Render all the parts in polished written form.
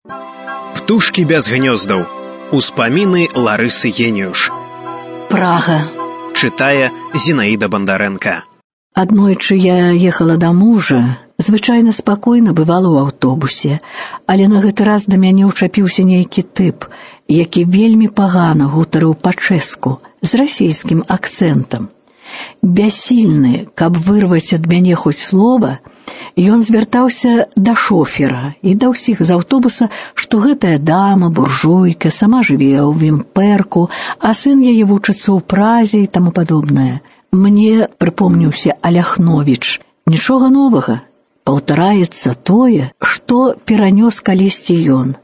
Птушкі без гнёздаў. Успаміны Ларысы Геніюш. Прага. Чытае Зінаіда Бандарэнка. Аднойчы я ехала да мужа, звычайна спакойна бывала ў аўтобусе, але на гэты раз да мяне ўчапіўся нейкі тып, які вельмі пагана гутарыў па-чэску, з расійскім акцэнтам. Бяссільны, каб вырваць ад мяне хоць слова, ён звяртаўся да шофера і да ўсіх з аўтобуса, што гэтая дама, буржуйка, сама жыве ў Вімперку, а сын яе вучыцца ў Празе і таму падобнае. Мне прыпомніўся Аляхновіч. Нічога новага. Паўтараецца тое, што перанёс калісьці ён.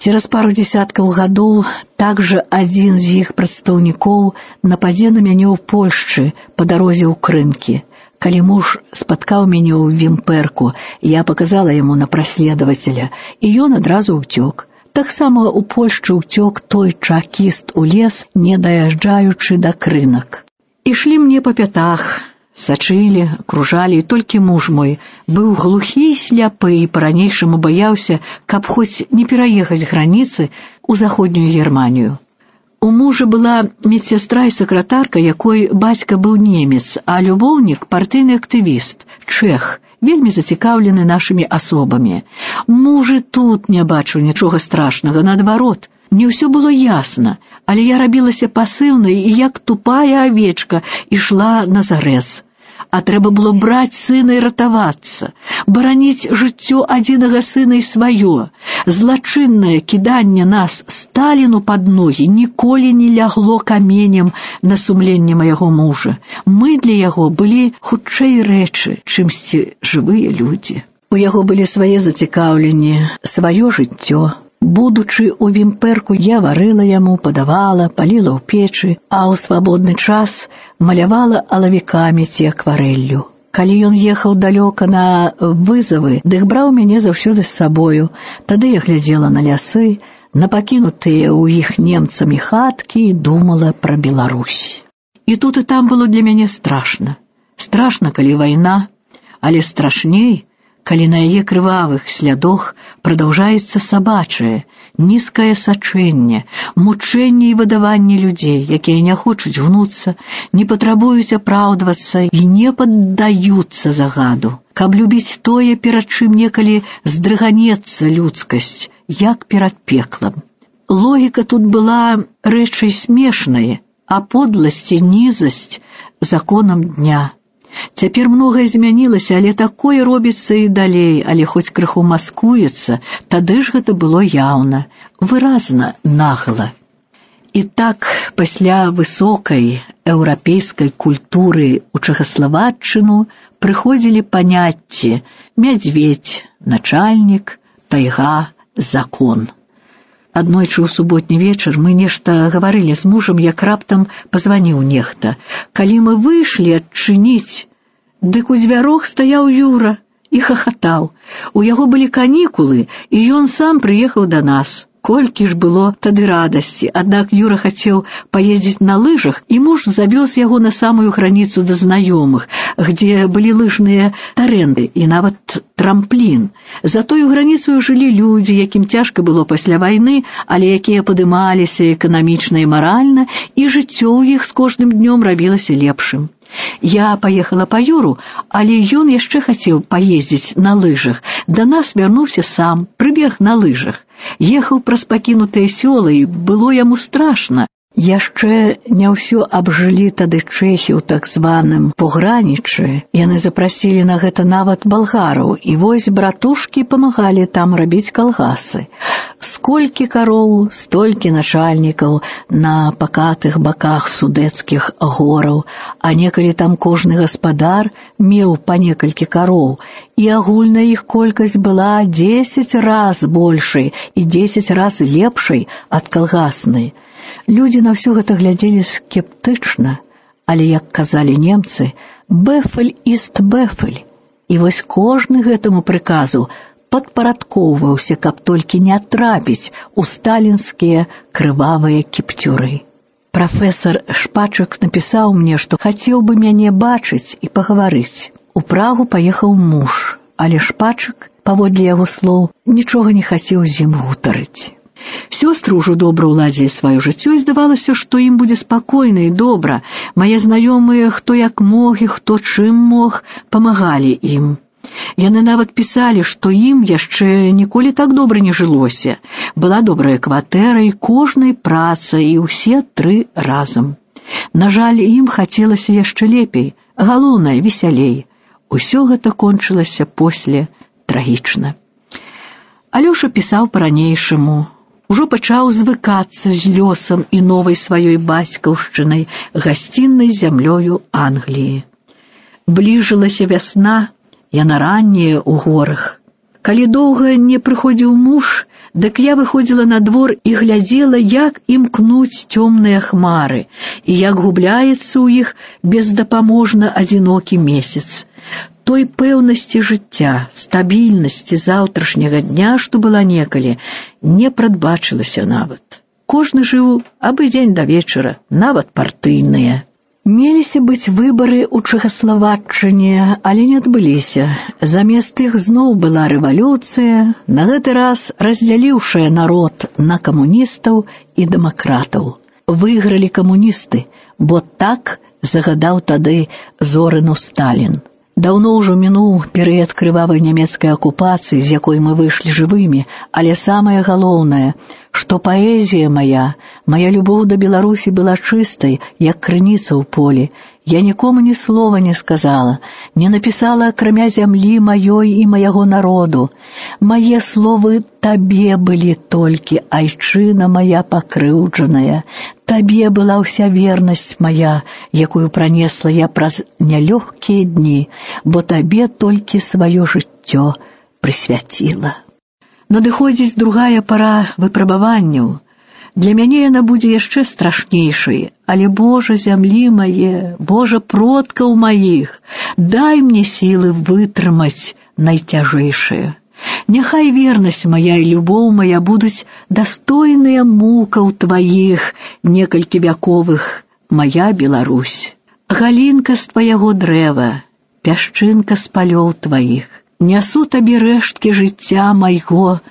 Цераз пару дзесяткаў гадоў также адзін з іх прадстаўнікоў нападзе на мяне ў Польшчы па дарозе ў Крынкі. Калі муж спаткаў мяне ў Вімперку, я паказала яму на праследавацеля, і ён адразу ўцёк. Таксама ў Польшчы ўцёк той чакіст у лес, не даязджаючы да Крынак. Ішлі мне па пятах, сачылі, акружалі, і толькі муж мой быў глухі і сляпы і па-ранейшаму баяўся, каб хоць не пераехаць граніцы ў заходнюю Германію. У мужа была медсястра і сакратарка, якой бацька быў немец, а любоўнік партыйны актывіст, чэх, вельмі зацікаўлены нашымі асобамі. Муж і тут не бачыў нічога страшнага, наадварот. Не ўсё было ясна, але я рабілася пасыўнай і як тупая авечка ішла на зарэз. А трэба было браць сына і ратавацца, бараніць жыццё адзінага сына і сваё. Злачыннае кіданне нас Сталіну пад ногі ніколі не лягло каменем на сумленне майго мужа. Мы для яго былі хутчэй рэчы, чымсьці жывыя людзі. У яго былі свае зацікаўленні, сваё жыццё. Будучы ў Вімперку, я варыла яму, падавала, паліла ў печы, а ў свабодны час малявала алавікамі ці акварэллю. Калі ён ехаў далёка на вызавы, дык браў мяне заўсёды з сабою. Тады я глядзела на лясы, на пакінутыя ў іх немцамі хаткі і думала пра Беларусь. І тут і там было для мяне страшна. Страшна, калі вайна, але страшней, калі на яе крывавых слядах прадаўжаецца сабачае, нізкае сачэнне, мучэнне і выдаванне людзей, якія не хочуць гнуцца, не патрабуюць апраўдвацца і не паддаюцца загаду. Каб любіць тое, перад чым некалі здрыганецца людскасць, як перад пеклам. Логіка тут была рэчай смешнай, а подласць і нізасць законам дня. Цяпер многае змянілася, але такое робіцца і далей, але хоць крыху маскуецца, тады ж гэта было яўна, выразна, нагла. І так, пасля высокай еўрапейскай культуры ў Чэхаславаччыну прыходзілі паняцці мядзведзь, начальнік, тайга, закон. Аднойчы ў суботні вечар мы нешта гаварылі з мужам, як раптам пазваніў нехта. Калі мы выйшлі адчыніць, дык у дзвярох стаяў Юра і хахатаў. У яго былі канікулы, і ён сам прыехаў да нас. Колькі ж было тады радасці, аднак Юра хацеў паездзіць на лыжах, і муж завёз яго на самую граніцу да знаёмых, где былі лыжныя тарэнды і нават трамплін. За тою граніцаю жылі людзі, якім цяжка было пасля вайны, але якія падымаліся эканамічна і маральна, і жыццё ў іх з кожным днём рабілася лепшым. Я паехала па Юру, але ён яшчэ хацеў паездзіць на лыжах. Да нас вярнуўся сам, прыбег на лыжах. Ехаў праз пакінутыя сёлы, і было яму страшна. Яшчэ не ўсё абжылі тады чэхі ў так званым погранічы. Яны запрасілі на гэта нават балгараў, і вось братушкі памагалі там рабіць калгасы. Сколькі кароў, столькі начальнікаў на пакатых баках судэцкіх гораў, а некалі там кожны гаспадар меў па некалькі кароў, і агульная іх колькасць была 10 раз большай і 10 раз лепшай ад калгаснай. Людзі на ўсё гэта глядзелі скептычна, але, як казалі немцы, «бэфэль іст бэфэль». І вось кожны гэтаму прыказу падпарадкоўваўся, каб толькі не трапіць у сталінскія крывавыя кіпцюры. Прафесар Шпачак напісаў мне, што хацеў бы мяне бачыць і пагаварыць. У Прагу паехаў муж, але Шпачак паводле яго слоў, нічога не хацеў з ім гутарыць. Сёстры ўжо добра ўладзілі сваё жыццё, і здавалася, што ім будзе спакойна і добра. Мае знаёмыя, хто як мог і хто чым мог, памагалі ім. Яны нават пісалі, што ім яшчэ ніколі так добра не жылося. Была добрая кватэра і кожнай праца, і ўсе 3 разам. На жаль, ім хацелася яшчэ лепей, галоўнае, весялей. Усё гэта кончылася после трагічна. Алёша пісаў па-ранейшаму. Ужо пачаў звыкацца з лёсам і новай сваёй бацькаўшчынай, гасціннай зямлёю Англіі. Бліжылася вясна, яна ранняя ў горах. Калі доўга не прыходзіў муж, дык я выходзіла на двор і глядзела, як імкнуць цёмныя хмары, і як губляецца ў іх бездапаможна адзінокі месяц. Той пэўнасці жыцця, стабільнасці заўтрашняга дня, што была некалі, не прадбачылася нават. Кожны жыў абы дзень да вечара, нават партыйныя. Меліся быць выбары ў Чэхаславаччыне, але не адбыліся. Замест іх зноў была рэвалюцыя, на гэты раз раздзяліўшая народ на камуністаў і дэмакратаў. Выйгралі камуністы, бо так загадаў тады Зорыну Сталін. Даўно ўжо мінуў перыяд крывавай нямецкай акупацыі, з якой мы выйшлі жывымі, але самае галоўнае, што паэзія моя любоў да Беларусі была чыстай, як крыніца ў полі. Я нікому ні слова не сказала, не напісала акрамя зямлі маёй і маяго народу. Мае словы табе былі толькі, айчына моя пакрыўджаная. Табе была ўся вернасць моя, якую пранесла я праз нялёгкія дні, бо табе толькі сваё жыццё прысвяціла. Надыходзіць другая пара выпрабаванняў. Для мяне яна будзе яшчэ страшнейшай, але, Божа, зямлі мае, Божа, продкаў маіх, дай мне сілы вытрымаць найцяжэйшае. Няхай вернасць моя і любоў моя будуць дастойныя мукаў тваіх некалькі вяковых, моя Беларусь. Галінка з тваяго дрэва, пясчынка з палёў тваіх, нясу табе рэшткі жыцця майго,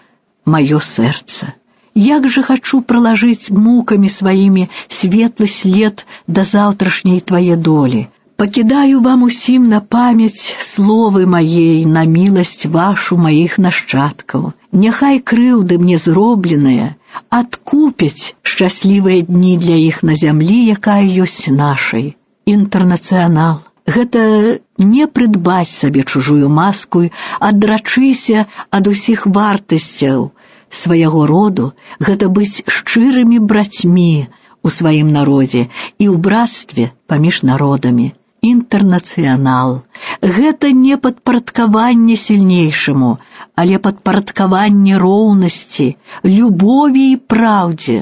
маё сэрца. Як жа хачу пралажыць мукамі сваімі светлы след да заўтрашняй твае долі. Пакідаю вам усім на памяць словы маей, на міласць вашу маіх нашчадкаў. Няхай крыўды мне зробленыя адкупяць шчаслівыя дні для іх на зямлі, якая ёсць нашай. Інтэрнацыянал. Гэта не прыдбаць сабе чужую маску, адрачыся ад усіх вартасцяў свайго роду, гэта быць шчырымі брацьмі у сваім народзе і ў братстве паміж народамі. Інтэрнацыянал. Гэта не падпарадкаванне сільнейшаму, але падпарадкаванне роўнасці, любові і праўдзе.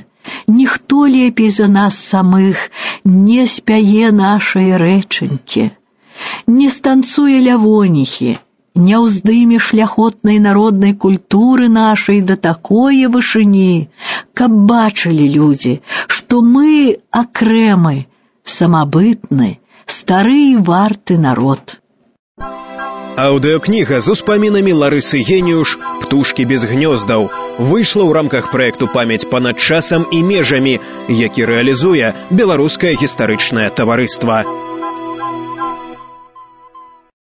Ніхто лепей за нас самых не спяе нашай рэчанькі, не станцуе лявоніхі, не ўздыме шляхотнай народнай культуры нашай да такое вышыні, каб бачылі людзі, што мы акрэмы, самабытны, стары і варты народ. Аўдыокніга з успамінамі Ларысы Геніюш «Птушкі без гнёздаў» выйшла ў рамках праекту «Памяць панад часам і межамі», які рэалізуе Беларускае гістарычнае таварыства.